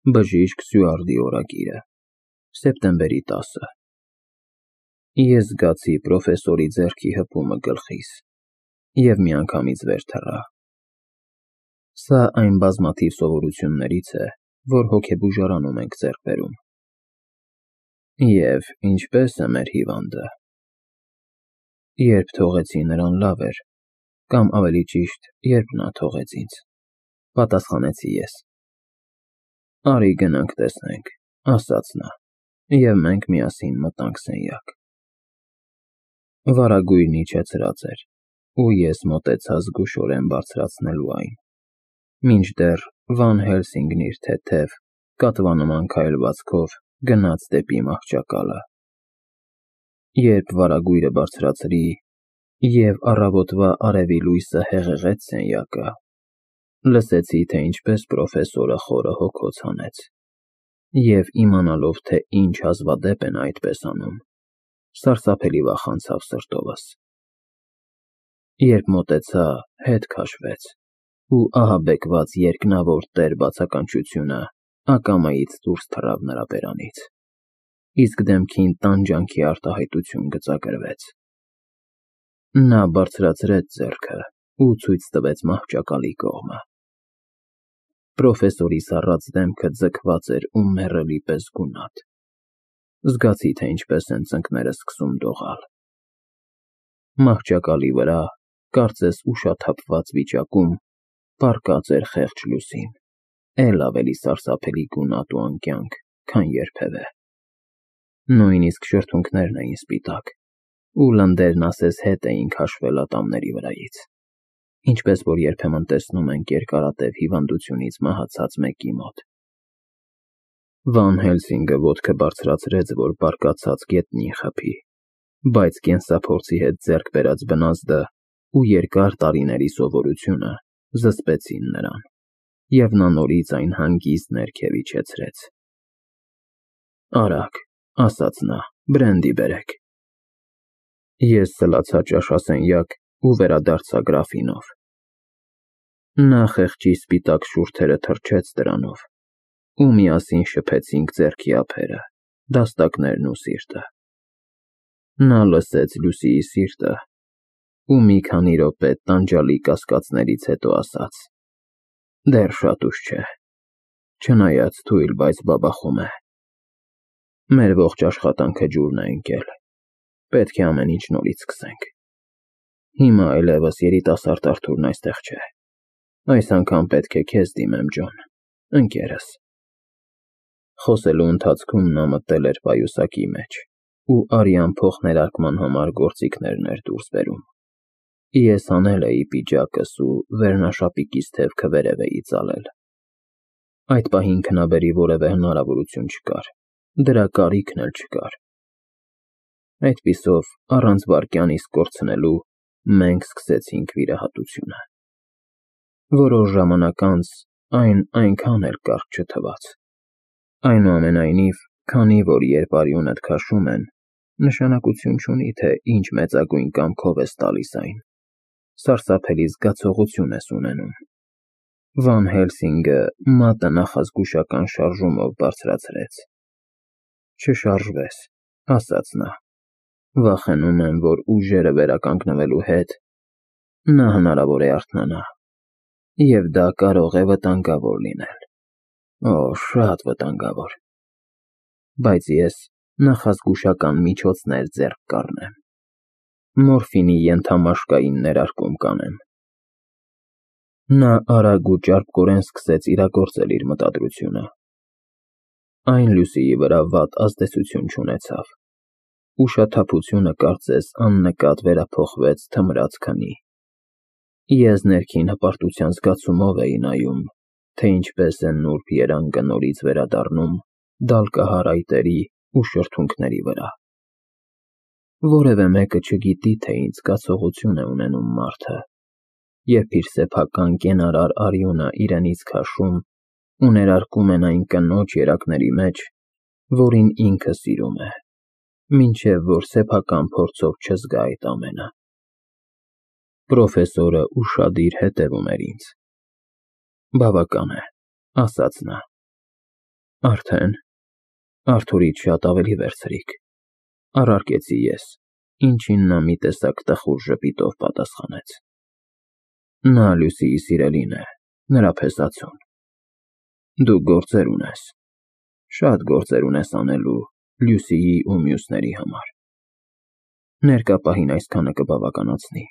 Բժիշկ Սյուարդի օրագիրը, սեպտեմբերի 10-ը։ Ես զգացի պրոֆեսորի ձեռքի հպումը գլխիս և միանգամից վեր թռա։ Սա այն բազմաթիվ սովորություններից է, որ հոգեբուժարանում ենք ձեռք բերում։ Եվ ինչպե՞ս է մեր հիվանդը։ Երբ թողեցի նրան, լավ էր, կամ ավելի ճիշտ, երբ նա թողեց ինձ, պատասխանեցի ես։ Արի գնանք տեսնենք, ասաց նա, և մենք միասին մտանք սենյակ։ Վարագույրն իջեցրած էր, ու ես մոտեցա զգուշորեն բարձրացնելու այն, մինչդեռ Վան Հելսինգն իր թեթև, կատվանման քայլվածքով գնաց դեպի մահճակալը։ Երբ վարագույրը բարձրացրի, և առավոտվա արևի լույսը հեղեղեց սենյակը, լսեցի, թե ինչպես պրոֆեսորը խորը հոգոց հանեց, և իմանալով, թե ինչ հազվադեպ են այդպես անում, սարսափելի վախեցավ սրտովս։ Երբ մոտեցա, հետ քաշվեց, ու ահաբեկված երկնավոր տեր բացականչությունը ակամայից դուրս թռավ նրա բերանից, իսկ դեմքին տանջանքի արտահայտություն գծագրվեց։ Նա բարձրացրեց ձեռքը ու ցույց տվեց մահճակալի կողմը։ Պրոֆեսորի սառած դեմքը ձգված էր ու մեռելի պես գունատ։ Զգացի, թե ինչպես են ծնկներս սկսում դողալ։ Մահճակալի վրա, կարծես ուշաթափված վիճակում, պառկած էր խեղճ Լուսին, էլ ավելի սարսափելի գունատ ու անկյանք, քան երբևէ։ Նույնիսկ շրթունքներն էին սպիտակ, ու լնդերն ասես հետ էին քաշվել ատամների վրայից, ինչպես որ երբեմն տեսնում ենք երկարատև հիվանդությունից մահացած մեկի մոտ։ Վան Հելսինգը ոտքը բարձրացրեց, որ բարկացած գետնին խփի, բայց կենսափորձի հետ ձեռք բերած բնազդը ու երկար տարիների սովորությունը զսպեցին նրան, և նա նորից այն հանգիստ ներքև իջեցրեց։ Արագ, ասաց նա, բրենդի բերեք։ Ես սլացա ճաշասենյակ ու վերադարձա գրաֆինով։ Նա խեղճի սպիտակ շուրթերը թրջեց դրանով, ու միասին շփեցինք ձեռքի ափերը, դաստակներն ու սիրտը։ Նա լսեց Լուսիի սիրտը ու մի քանի րոպե տանջալի կասկածներից հետո ասաց. դեռ շատ ուշ չէ, չնայած թույլ, բայց բաբախում է։ Մեր ողջ աշխատանքը ջուրն է ընկել, պետք է ամեն ինչ նորից սկսենք։ Հիմա այլևս երիտասարդ Արթուրն այստեղ չէ։ Այս անգամ պետք է քեզ դիմեմ, Ջոն, ընկերս։ Խոսելու ընթացքում նա մտել էր պայուսակի մեջ ու արյան փոխներարկման համար գործիքներն էր դուրս բերում։ Ես հանել էի պիջակս ու վերնաշապիկիս թևքը վերև էի ծալել։ Այդ պահին քնաբերի որևէ հնարավորություն չկար, դրա կարիքն էլ չկար։ Այդպիսով, առանց վայրկյան իսկ կորցնելու, մենք սկսեցինք վիրահատությունը։ Որոշ ժամանակ անց այն այնքան էլ կարճ չթվաց։ Այնուամենայնիվ, քանի որ երբ արյունդ քաշում են, նշանակություն չունի, թե ինչ մեծագույն կամքով ես տալիս այն, սարսափելի զգացողություն ես ունենում։ Վան Հելսինգը մատը նախազգուշական շարժումով բարձրացրեց։ Չշարժվես, ասաց նա, վախենում եմ, որ ուժերը վերականգնվելու հետ նա հնարավոր է արթնանա, և դա կարող է վտանգավոր լինել։ Օ, շատ վտանգավոր։ Բայց ես նախազգուշական միջոցներ ձեռք կառնեմ։ Մորֆինի ենթամաշկային ներարկում կանեմ։ Նա արագ ու ճարպկորեն սկսեց իրագործել իր մտադրությունը։ Այն Լուսիի վրա վատ ազդեցություն չունեցավ։ Ուշաթափությունը կարծես աննկատ վերափոխվեց թմրած քնի։ Ես ներքին հպարտության զգացումով էի նայում, թե ինչպես են նուրբ երանգը նորից վերադառնում դալկահար այտերի ու շրթունքների վրա։ Որևէ մեկը չգիտի, թե ինչ զգացողություն է ունենում մարդը, երբ իր սեփական կենարար արյունը իրենից քաշում ու ներարկում են այն կնոջ երակների մեջ, որին ինքը սիրում է, մինչև որ սեփական փորձով չզգա այդ ամենը։ Պրոֆեսորը ուշադիր հետևում էր ինձ։ Բավական է, ասաց նա, Արդեն, Արթուրից շատ ավելի վերցրիք, առարկեցի ես, ինչին նա մի տեսակ տխուր ժպիտով պատասխանեց։ Նա Լյուսիի սիրելին է, նրա փեսացուն։ Դու գործեր ունես, շատ գործեր ունես անելու Լյուսիի ու մյուսների համար։ Ներկա պահին այսքանը կբավականացնի։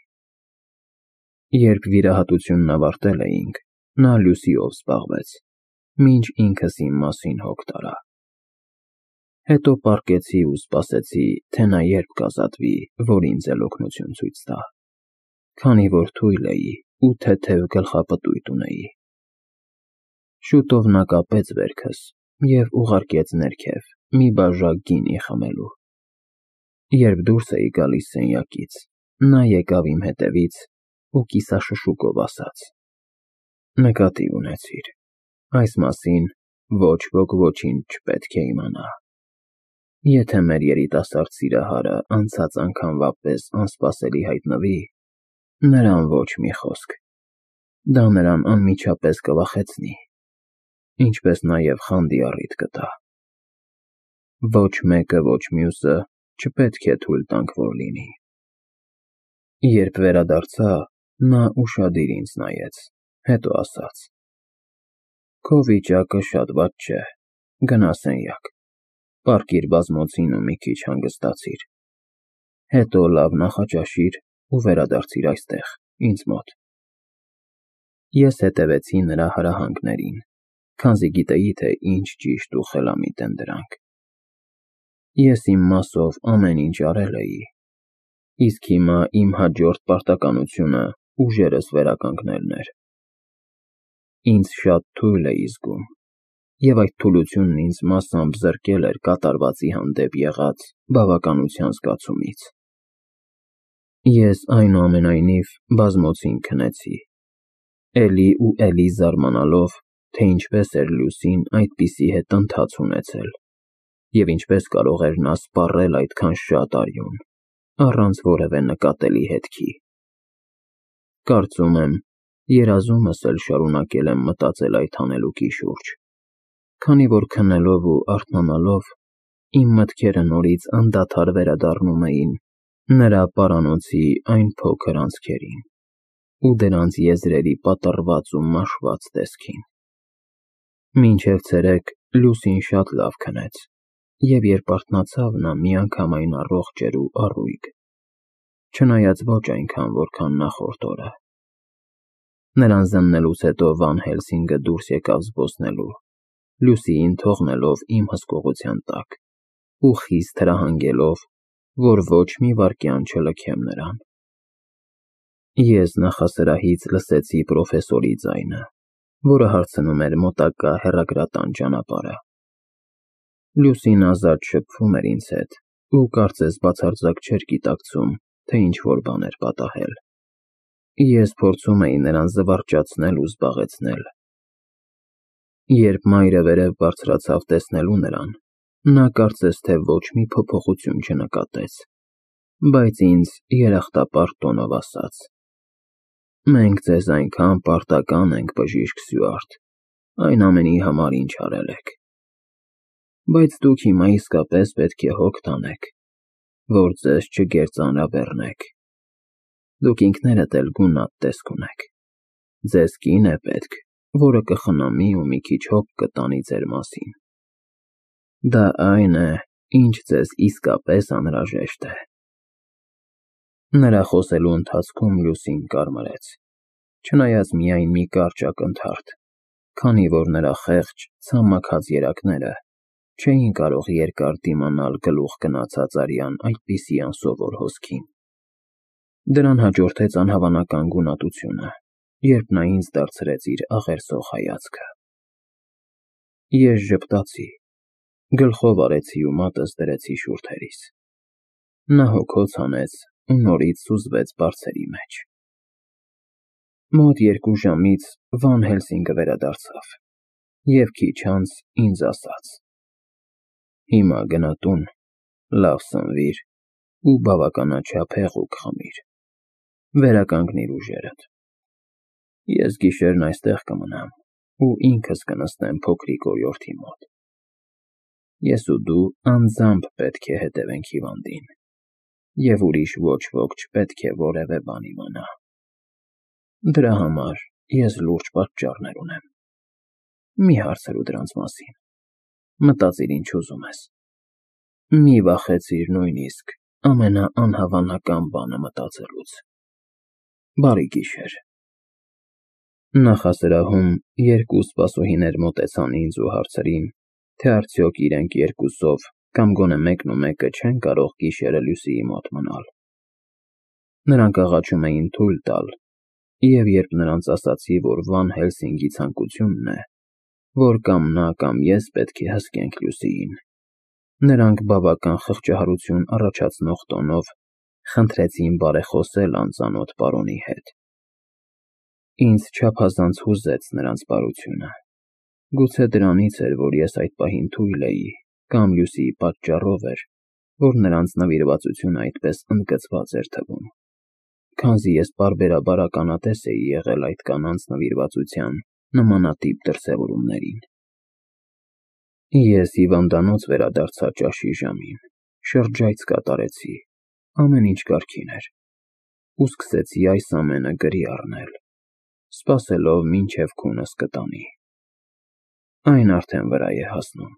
Երբ վիրահատությունն ավարտել էինք, նա Լյուսիով զբաղվեց, մինչ ինքս իմ մասին հոգ տարա։ Հետո պառկեցի ու սպասեցի, թե նա երբ կազատվի, որ ինձ էլ օգնություն ցույց տա, քանի որ թույլ էի ու թեթև գլխապտույտ ունեի։ Շուտով նա կապեց վերքս և ուղարկեց ներքև մի բաժակ գինի խմելու։ Երբ դուրս էի գալիս սենյակից, նա եկավ իմ հետևից ու կիսաշշուկով ասաց. «Նկատի ունեցիր, այս մասին ոչ ոք ոչինչ չպետք է իմանա։ Եթե մեր երիտասարդ սիրահարը անցած անգամվա պես անսպասելի հայտնվի, նրան ոչ մի խոսք, դա նրան անմիջապես կվախեցնի, ինչպես նաև խանդի առիթ կտա։ Ոչ մեկը, ոչ մյուսը չպետք է թույլ տանք, որ լինի»։ Երբ վերադարձա, նա ուշադիր ինձ նայեց, հետո ասաց. «Քո վիճակը շատ վատ չէ, գնա սենյակ, պառկիր բազմոցին ու մի քիչ հանգստացիր, հետո լավ նախաճաշիր ու վերադարձիր այստեղ, ինձ մոտ»։ Ես հետևեցի նրա հրահանգներին, քանզի գիտեի, թե ինչ ճիշտ ու խելամիտ են դրանք։ Ես իմ մասով ամեն ինչ արել էի, իսկ հիմա իմ հաջորդ պարտականությունը ուժերս վերականգնելն էր։ Ինձ շատ թույլ էի զգում, և այդ թուլությունն ինձ մասամբ զրկել էր կատարվածի հանդեպ եղած բավականության զգացումից։ Ես այնուամենայնիվ բազմոցին քնեցի, էլի ու էլի զարմանալով, թե ինչպես էր Լյուսին այդպիսի հետընթաց ունեցել, և ինչպես կարող էր նա սպառել այդքան շատ արյուն, առանց որևէ նկատելի հետքի։ Կարծում եմ, երազումս էլ շարունակել եմ մտածել այդ հանելուկի շուրջ, քանի որ քնելով ու արթնանալով, իմ մտքերը նորից անդադար վերադառնում էին նրա պարանոցի այն փոքր անցքերին ու դրանց եզրերի պատռված ու մաշված տեսքին։ Մինչև ցերեկ Լյուսին շատ լավ քնեց, և երբ արթնացավ, նա միանգամայն առողջ էր ու առույգ, չնայած ոչ այնքան, որքան նախորդ օրը։ Նրան զննելուց հետո Վան Հելսինգը դուրս եկավ զբոսնելու, Լյուսիին թողնելով իմ հսկողության տակ ու խիստ հրահանգելով, որ ոչ մի վայրկյան չլքեմ նրան։ Ես նախասրահից լսեցի պրոֆեսորի ձայնը, որը հարցնում էր մոտակա հեռագրատան ճանապարհը։ Լյուսին ազատ շփվում էր ինձ հետ ու կարծես բացարձակ չէր գիտակցում, թե ինչ-որ բան էր պատահել։ Ես փորձում էի նրան զվարճացնել ու զբաղեցնել։ Երբ մայրը վերև բարձրացավ տեսնելու նրան, նա կարծես թե ոչ մի փոփոխություն չնկատեց, բայց ինձ երախտապարտ տոնով ասաց. «Մենք ձեզ այնքան պարտական ենք, բժիշկ Սյուարտ, այն ամենի համար, ինչ արել եք։ Բայց դուք հիմա իսկապես պետք է հոգ տանեք, որ ձեզ չգերծանրաբեռնեք։ Դուք ինքներդ էլ գունատ տեսք ունեք։ Ձեզ կին է պետք, որը կխնամի ու մի քիչ հոգ կտանի ձեր մասին։ Դա այն է, ինչ ձեզ իսկապես անհրաժեշտ է»։ Նրա խոսելու ընթացքում Լյուսին կարմրեց, չնայած միայն մի կարճ ակնթարթ, քանի որ նրա խեղճ, ցամաքած երակները չէին կարող երկար դիմանալ գլուխ գնացած արյան այդպիսի անսովոր հոսքին։ Դրան հաջորդեց անհավանական գունատությունը, երբ նա ինձ դարձրեց իր աղերսող հայացքը։ Ես ժպտացի, գլխով արեցի ու մատս դրեցի շուրթերիս։ Նա հոգոց հանեց ու նորից սուզվեց բարձերի մեջ։ Մոտ 2 ժամից Վան Հելսինգը վերադարձավ և քիչ անց ինձ ասաց. «Հիմա գնա տուն, լավ սնվիր ու բավականաչափ հեղուկ խմիր, վերականգնիր ուժերդ։ Ես գիշերն այստեղ կմնամ ու ինքս կնստեմ փոքրիկ օրիորդի մոտ։ Ես ու դու անձամբ պետք է հետևենք հիվանդին, և ուրիշ ոչ ոք չպետք է որևէ բան իմանա։ Դրա համար ես լուրջ պատճառներ ունեմ։ Մի հարցրու դրանց մասին, մտածիր ինչ ուզում ես։ Մի վախեցիր նույնիսկ ամենաանհավանական բանը մտածելուց։ Բարի գիշեր։ Նախասրահում երկու սպասուհիներ մոտեցան ինձ ու հարցրին, թե արդյոք իրենք երկուսով կամ գոնե մեկնումեկը չեն կարող գիշերը Լյուսիի մոտ մնալ։ Նրանք աղաչում էին թույլ տալ, և երբ նրանց ասացի, որ Վան Հելսինգի ցանկությունն է, որ կամ նա, կամ ես պետք է հսկենք Լյուսիին, նրանք բավական խղճահարություն առաջացնող տոնով խնդրեցին բարեխոսել անծանոթ պարոնի հետ։ Ինձ չափազանց հուզեց նրանց բարությունը։ Գուցե դրանից էր, որ ես այդ պահին թույլ էի, կամ Լյուսիի պատճառով էր, որ նրանց նվիրվածությունը այդպես ընդգծված էր թվում, քանզի ես պարբերաբար ականատես էի եղել այդ կանանց նվիրվածության նմանատիպ դրսևորումներին։ Ես հիվանդանոց վերադարձա ճաշի ժամին, շրջայց կատարեցի, ամեն ինչ կարգին էր, ու սկսեցի այս ամենը գրի առնել, սպասելով մինչև քունս կտանի։ Այն արդեն վրա է հասնում։